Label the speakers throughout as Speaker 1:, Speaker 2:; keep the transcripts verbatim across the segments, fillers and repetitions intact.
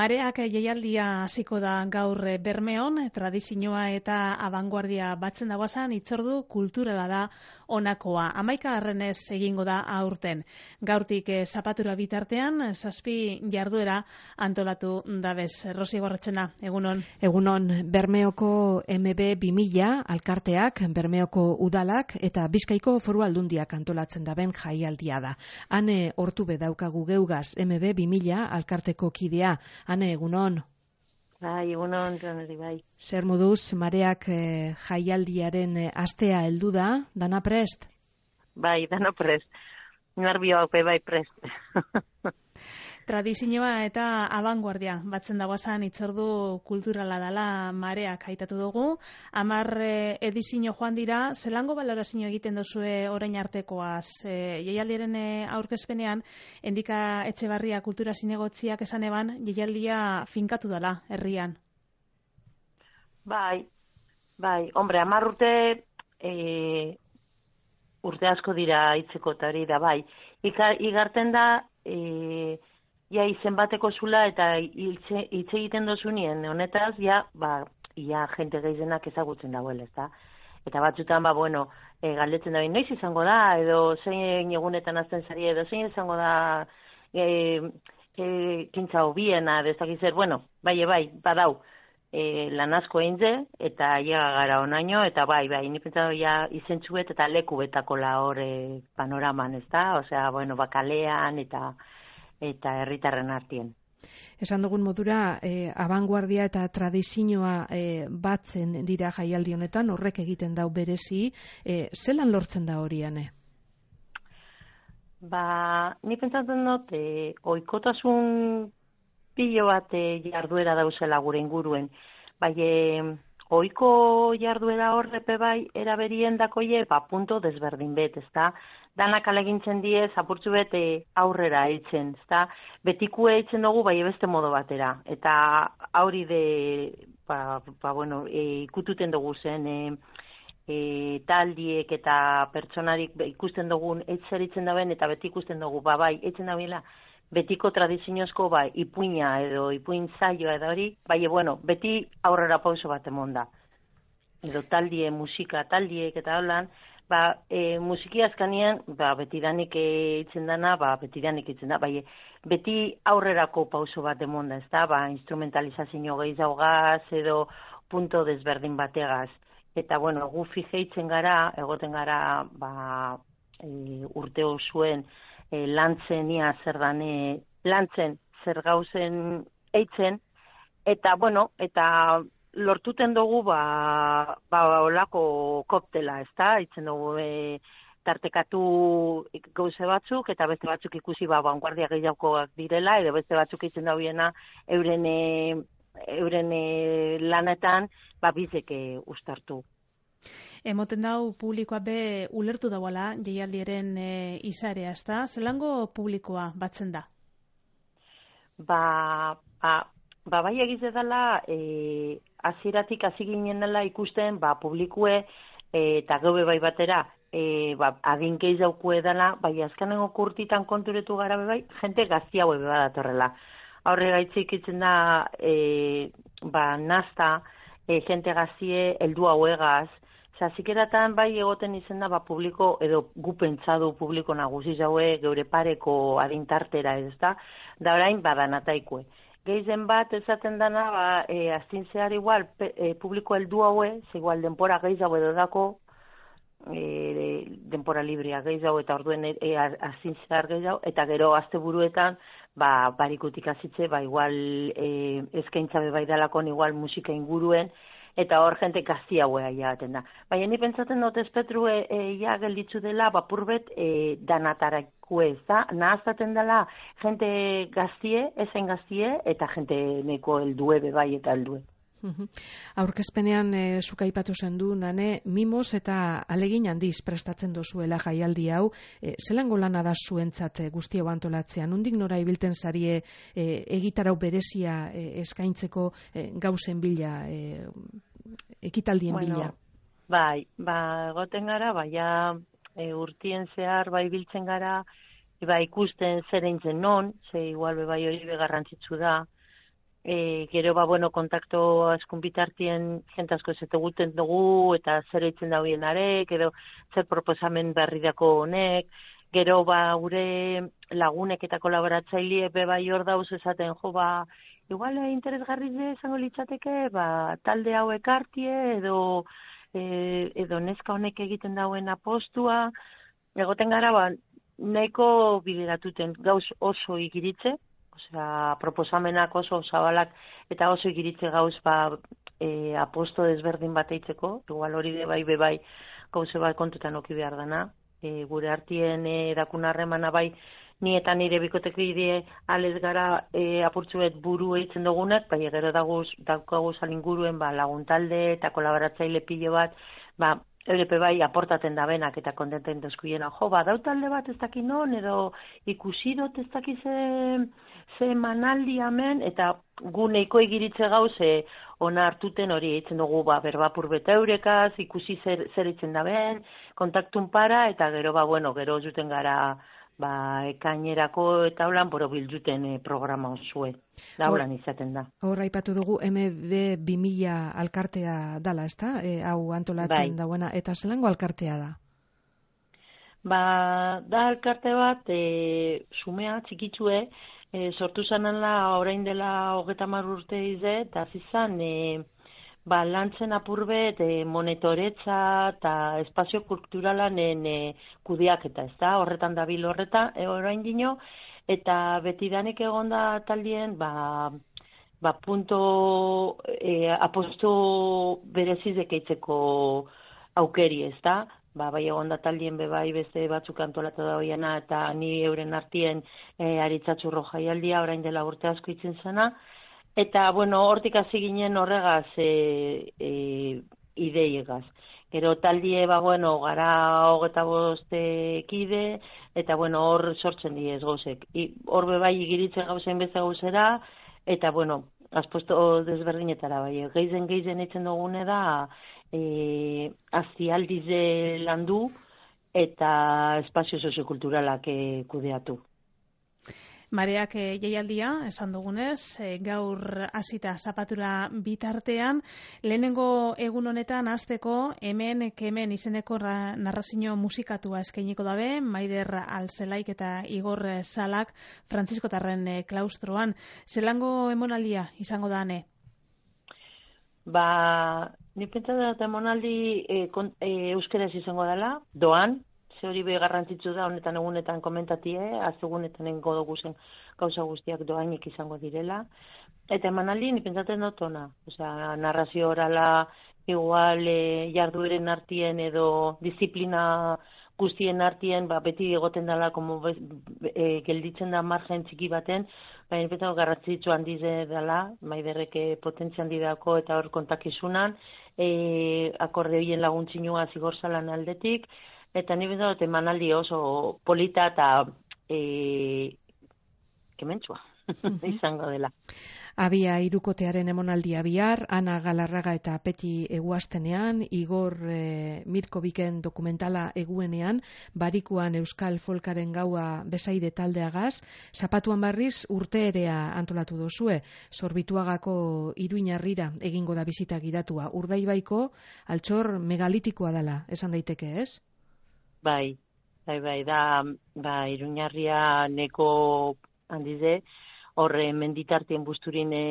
Speaker 1: Mareak jaialdia hasiko da gaur Bermeon, tradizioa eta abanguardia batzen dagoazan hitzordu kulturala da honakoa. Hamaika harrenez egingo da aurten. Gaurtik zapatura bitartean, zazpi jarduera antolatu dabez. Rosi Gorretxena, egunon.
Speaker 2: Egunon, Bermeoko M B bi mila alkarteak, Bermeoko udalak eta Bizkaiko Foru Aldundiak antolatzen daben jaialdia da. Hane hortu bedaukagu geugaz M B bi mila alkarteko kidea. Hane, egunon.
Speaker 3: Bai, egunon, Janari, bai.
Speaker 2: Zer moduz, Mareak eh, jaialdiaren eh, astea heldu da, dana prest?
Speaker 3: Bai, dana prest. Narbio haupe bai prest.
Speaker 1: Tradizioa eta abanguardia batzen dagoazan hitzordu kulturala dela Mareak aitatu dugu. Hamar edizio joan dira, zelango balorazio egiten duzue orain artekoaz? E, jaialdiaren aurkezpenean, Endika Etxebarria kultura zinegotziak esan eban, jaialdia finkatu dela herrian.
Speaker 3: Bai, bai, hombre, hamar urte e, urte asko dira hitzeko eta hori da, bai. Ika, igarten da, e, ja izen bateko zula eta hitz egiten dozunien honetaz, ja, ba, ja jente gehienak ezagutzen dagoela, ezta? Eta batzutan, ba, bueno, e, galdetzen da, noiz izango da, edo zein egunetan azten zari, edo zein izango da e, e, kintza hobiena, edo ez dakiz zer, bueno, bai, bai, badau, e, lan asko einze, eta llega gara onaino, eta bai, bai, ni pentsatu ja izentzuet eta leku betakola hor e, panoraman, ezta? Osea, bueno, bakalean, eta eta herritarren artien.
Speaker 2: Esan dugun modura, eh, abanguardia eta tradizioa eh, batzen dira jaialdi honetan, horrek egiten dau berezi, eh, zelan lortzen da horiane?
Speaker 3: Ba, ni pentsatzen dut, eh, oikotasun pilo bat eh, jarduera dauzela gure inguruen. Bai, eh, oiko jarduera horrepe bai, eraberien dakoie, ba, punto desberdin bet, ezta? Danak alegintzen die, zapurtzu bete aurrera eitzen, ezta? Betikue eitzen dugu, bai beste modo batera. Eta hauri de, ba, ba bueno, e, ikututen dugu zen, e, e, taldiek eta pertsonarik ikusten dugun eitzer eitzen dauen, eta beti ikusten dugu, ba, bai, eitzen dabeela, betiko tradiziozko, bai, ipuina edo ipuin zaioa edo hori, bai, bueno, beti aurrera pauso bat emonda. Edo taldie, musika, taldiek eta holan, ba, e, musiki azkanean, ba, betidanik eitzen dana, ba, betidanik eitzen da, bai, beti aurrerako pauso bat emonda, ez da, ba, instrumentalizazio gehiagaz edo punto desberdin bategaz. Eta, bueno, gu fijeitzen gara, egoten gara, ba, e, urte osuen, e, lantzen ia zer dane, lantzen zer gauzen eitzen, eta, bueno, eta lortuten dugu, ba, ba, olako koptela, ez da, eitzen dugu, e, tartekatu gauze batzuk, eta beste batzuk ikusi, ba, vanguardia gehiagoak direla, edo beste batzuk eitzen dauena, euren, e, euren e, lanetan, ba, bizeke ustartu.
Speaker 1: Emoten dau publikoa be ulertu dauala jaialdiaren e, izarea, ez da? Zelango publikoa batzen da?
Speaker 3: Ba, ba, ba bai egize dela, e, aziratik hasi ginen dela ikusten, ba, publikue e, eta gaube bai batera, e, ba, adinkeiz daukue dela, bai azkanengo kurtitan konturetu gara bai, jente gaztia hue badatorrela. Aurre gaitzik itzen da, e, ba, nazta, e, jente gaztie, heldu hauegaz, zazikeratan bai egoten izen da, ba, publiko, edo gu pentsadu publiko nagusi jaue, geure pareko adintartera ez da, da orain badanataikue. Geizen bat esaten dana, ba, e, aztin zehar igual, pe, e, publiko heldu haue, ze igual denpora gehiago edo dako, e, denpora librea gehiago, eta orduen e, aztin zehar gehiago, eta gero asteburuetan, ba, barikutik azitze, ba, igual e, eskaintza bebai dalakon, igual musika inguruen, eta hor jente gazti hauea jaten da. Baina ni pentsaten dut espetru e, e, ja gelditzu dela, bapurbet e, danatarakue, ez da? Nahaztaten dela jente gaztie, ezen gaztie, eta jente neko heldue bebai eta heldue.
Speaker 2: Aurkezpenean e, zuk aipatu zen du, nane, mimos eta alegin handiz prestatzen dozuela jaialdi hau, e, zelango lana da zuentzat e, guzti hau antolatzean, nondik nora ibilten zarie e, egitarau berezia e, eskaintzeko e, gauzen bila, e, ekitaldien
Speaker 3: bueno,
Speaker 2: bila?
Speaker 3: Bai, ba, egoten gara, baina e, urtien zehar bai biltzen gara, ba, ikusten zer eintzen non, ze igual bai hori begarrantzitsu da, e, gero ba, bueno, kontakto askun bitartien jentazko ez eguten dugu, eta zer eitzen dauen arek, edo zer proposamen berri dako honek, gero ba, gure lagunek eta kolaboratzaile be bai hor dauz esaten, jo ba, igual interesgarri izango litzateke, ba, talde hau ekartie, edo, e, edo neska honek egiten dauen apostua, egoten gara, ba, nahiko bideratuten gauz oso ikiritze, osea, proposamenak oso zabalak eta oso ikiritze gauz ba, e, aposto desberdin bat eitzeko, igual hori de bai, be bai, gauze bat kontutan oki behar dana, e, gure artien e, dakun harremana bai, ni eta nire bikotekide alez gara e, apurtzuet buru eitzen dugunak, bai gero daguz, daukaguz alinguruen ba, laguntalde eta kolaboratzaile pilo bat, ba, Eurepe bai aportaten da benak eta kontenten dezkuiena. Jo, ba, dautalde bat ez daki non, edo ikusi dut ez daki ze, ze manaldi hemen, eta gu neiko egiritze gauze ona hartuten hori eitzen dugu, ba, berbapur beta eurekaz, ikusi zer, zer eitzen da ben, kontaktun para, eta gero, ba, bueno, gero zuten gara, ba, ekainerako eta holan boro bilduten e, programa osue. Da holan izaten da.
Speaker 2: Hor aipatu dugu M B bi mila alkartea dala, ezta? E, hau antolatzen bai. Dauena, eta zelango alkartea da?
Speaker 3: Ba, da alkarte bat, e, sumea, txikitsue, e, sortu zanala orain dela hogeta hamar urte ize, eta zizan, e, ba, lantzen apurbet e, monetoretza eta espazio kulturalanen e, kudeaketa, ez da, horretan dabil horreta, e, orain dino, eta betidanik egonda taldien, ba, ba punto e, aposto berezizek eitzeko aukeri, ez da, ba, bai egonda taldien bebai beste batzuk antolatu da hoiana, eta ni euren artien e, aritzatxurro jaialdia, orain dela urte asko itzen zena, eta, bueno, hortik hasi ginen horregaz e, e, ideiegaz. Gero taldie, ba, bueno, gara hogeta boste kide, eta, bueno, hor sortzen diez gozek. Hor bebai igiritzen gauzen beste gauzera, eta, bueno, azposto desberdinetara, bai, geizen geizen eitzen dugune da, e, aztialdize landu, eta espazio soziokulturalak e, kudeatu.
Speaker 1: Mareak e, jaialdia, esan dugunez, e, gaur hasita zapatura bitartean, lehenengo egun honetan hasteko hemen kemen izeneko narrazio musikatua eskainiko dabe, Maider Alzelaik eta Igor Salak Frantziskotarren e, klaustroan. Zelango emonaldia izango da, ane?
Speaker 3: Ba, ni pentsa da emonaldi e, kon, e, euskeraz izango dela, doan, ze hori be garrantzitsu da honetan egunetan komentatie, azegunetan engo dugu zen gauza guztiak doainik izango direla. Eta emanaldi, ni pentsatzen dut ona. Osea, narrazio orala, igual e, jardueren artien edo disiplina guztien artien, ba, beti egoten dela, como e, gelditzen da margen txiki baten, baina pentsatzen garrantzitsu handize dela, Maiderreke potentzia handi dako eta hor kontakizunan, e, akorde bien laguntzinua Zigorzalan aldetik, eta ni bezala emanaldi oso polita eta e, kementsua izango dela.
Speaker 2: Abia hirukotearen emonaldia bihar, Ana Galarraga eta Peti eguaztenean, Igor e, Mirkoviken dokumentala eguenean, Barikuan Euskal Folkaren gaua besaide taldeagaz, Zapatuan barriz urteerea antolatu dozue, Zorbituagako Iruñarrira egingo da bizita gidatua, Urdaibaiko altxor megalitikoa dela, esan daiteke, ez?
Speaker 3: Bai, bai, bai, da, ba, Iruñarria neko handize, horre menditartien busturin e,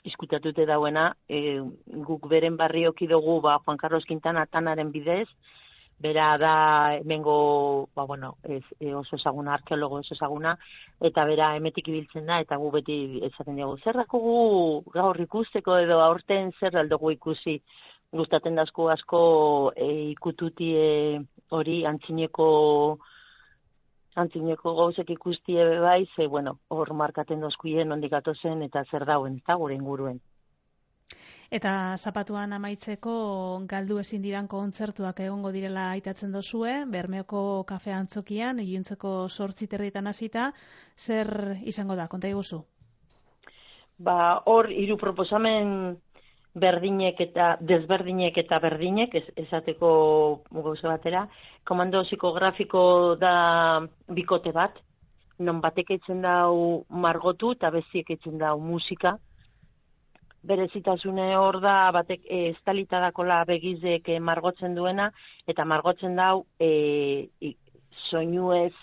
Speaker 3: izkutatute dauena, e, guk beren barrioki dugu, ba, Juan Carlos Quintana tanaren bidez, bera da, hemengo, ba, bueno, ez, e, oso ezaguna, arkeologo oso ezaguna, eta bera emetik ibiltzen da, eta gu beti esaten dugu, zerrako gu gaur ikusteko edo aurten zer aldugu ikusi, gustaten dazko asko e, ikututi e, hori antzineko antzineko gauzek ikustie bai, ze, bueno, hor markaten dozkuien ondik atozen eta zer dauen, eta gure inguruen.
Speaker 1: Eta zapatuan amaitzeko galdu ezin diran kontzertuak egongo direla aitatzen dozue, Bermeoko kafe antzokian, iluntzeko sortzi terrietan hasita, zer izango da, konta iguzu?
Speaker 3: Ba, hor, hiru proposamen berdinek eta desberdinek eta berdinek, ez, esateko gauza batera, komando psikografiko da bikote bat, non batek eitzen dau margotu eta beziek eitzen dau musika, berezitasune hor da, batek e, estalita dakola begizek e, margotzen duena, eta margotzen dau e, soinuez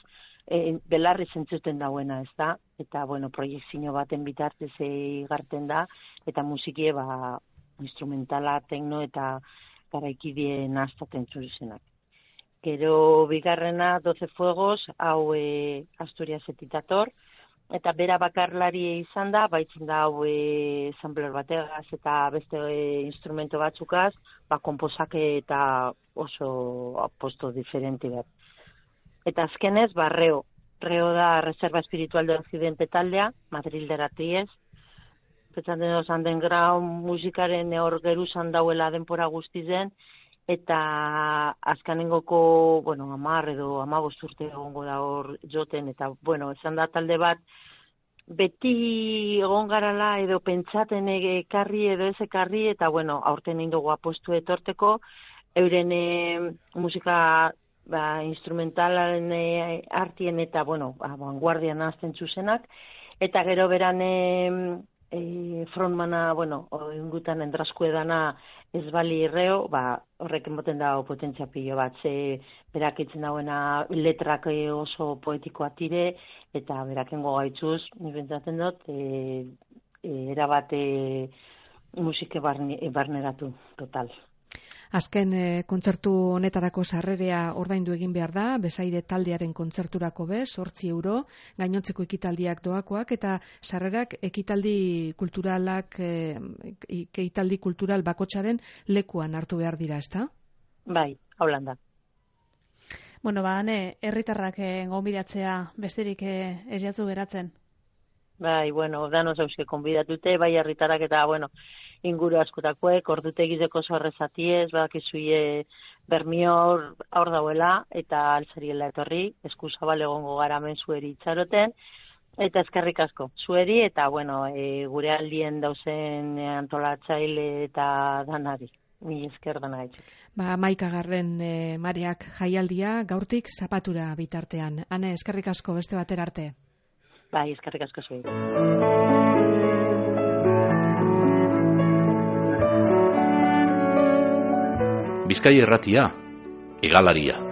Speaker 3: e, belarri zentzuten dauena, ez da? Eta, bueno, proiektzio baten bitartez igarten da, eta musikie, ba, instrumentala, tekno eta garaikideen astaten zuzenak. Gero bigarrena, doce fuegos, hau e, Asturiasetik dator, eta bera bakarlari izan da, baitzen da hau e, sampler bategaz eta beste e, instrumento batzukaz, ba, konposake eta oso aposto diferente bat. Eta azkenez, ba, Reo. Reo da Reserva Espiritual de Occidente taldea, Madrilderatiez. Petzaten doz, underground musikaren hor geruzan dauela denpora guztizen, eta azkanengoko, bueno, amar edo amabost urte egongo da hor joten, eta, bueno, esan da talde bat, beti egon garala edo pentsaten ekarri edo ez ekarri, eta, bueno, aurten indogu apostu etorteko, euren e, musika ba, instrumentalaren e, artien eta, bueno, ba, vanguardian azten zuzenak, eta gero beran e, e, frontmana, bueno, ingutan endrasku edana ez bali Reo, ba, horrek emoten dago potentzia pilo bat, ze berak itzen dauena letrak oso poetikoa tire, eta berakengo gaitzuz, nik bentsatzen dut, e, e, erabate musike barne, barneratu, total.
Speaker 2: Azken e, kontzertu honetarako sarrerea ordaindu egin behar da, Besaide taldearen kontzerturako bez, zortzi euro, gainontzeko ekitaldiak doakoak, eta sarrerak ekitaldi kulturalak, e, ekitaldi kultural bakotsaren lekuan hartu behar dira, ezta?
Speaker 3: Bai, haulan da.
Speaker 1: Bueno, ba, hane, herritarrak gonbidatzea besterik ez jatzu geratzen.
Speaker 3: Bai, bueno, danoz euske konbidatute, bai herritarrak eta, bueno, inguru askotakoek, ordutegizeko zorrezatiez, badakizuie Bermior aur dauela, eta altzariela etorri, eskuzabal egongo gara men zueri itxaroten, eta eskerrik asko, zueri, eta, bueno, e, gure aldien dauzen antolatzaile eta danari. Mi esker dana gaitxik.
Speaker 2: Ba, maikagarren e, Mareak jaialdia gaurtik zapatura bitartean. Ane, eskerrik asko beste batera arte.
Speaker 3: Bai, eskerrik asko zuei.
Speaker 4: Bizkaia Irratia, Hegalaria.